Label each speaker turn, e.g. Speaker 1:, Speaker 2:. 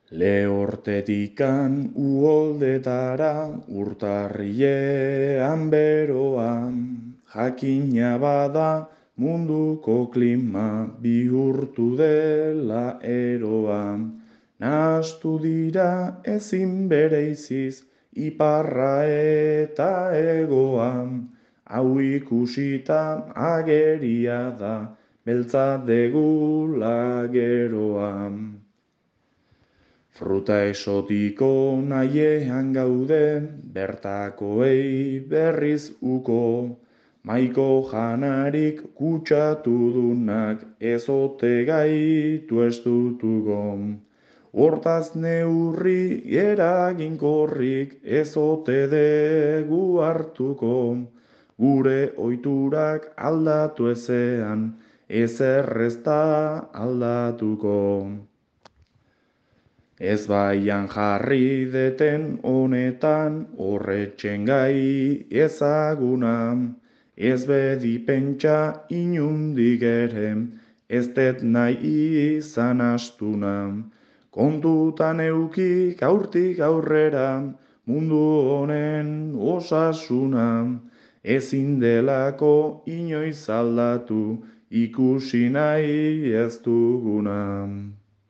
Speaker 1: Lehortetikan uholdetara urtarrilean beroan, jakina bada munduko klima bihurtu dela eroan. Nahastu dira ezin bereiziz iparra eta egoan, hau ikusita ageria da beltza degula geroan. Fruta esotiko nahiean gaude, bertakoei berriz uko, maiko janarik kutsatudunak ezote gaitu estutuko. Hortaz neurri eraginkorrik ezote degu hartuko, gure ohiturak aldatu ezean, ezer ez da aldatuko. Ez baian jarri deten honetan, horretxen gai ezaguna, ez bedi pentsa inundik ere, ez det nahi izan astuna. Kontutan euki gaurtik aurrera, mundu honen osasuna, ezin delako inoiz aldatu, ikusi nahi ez duguna.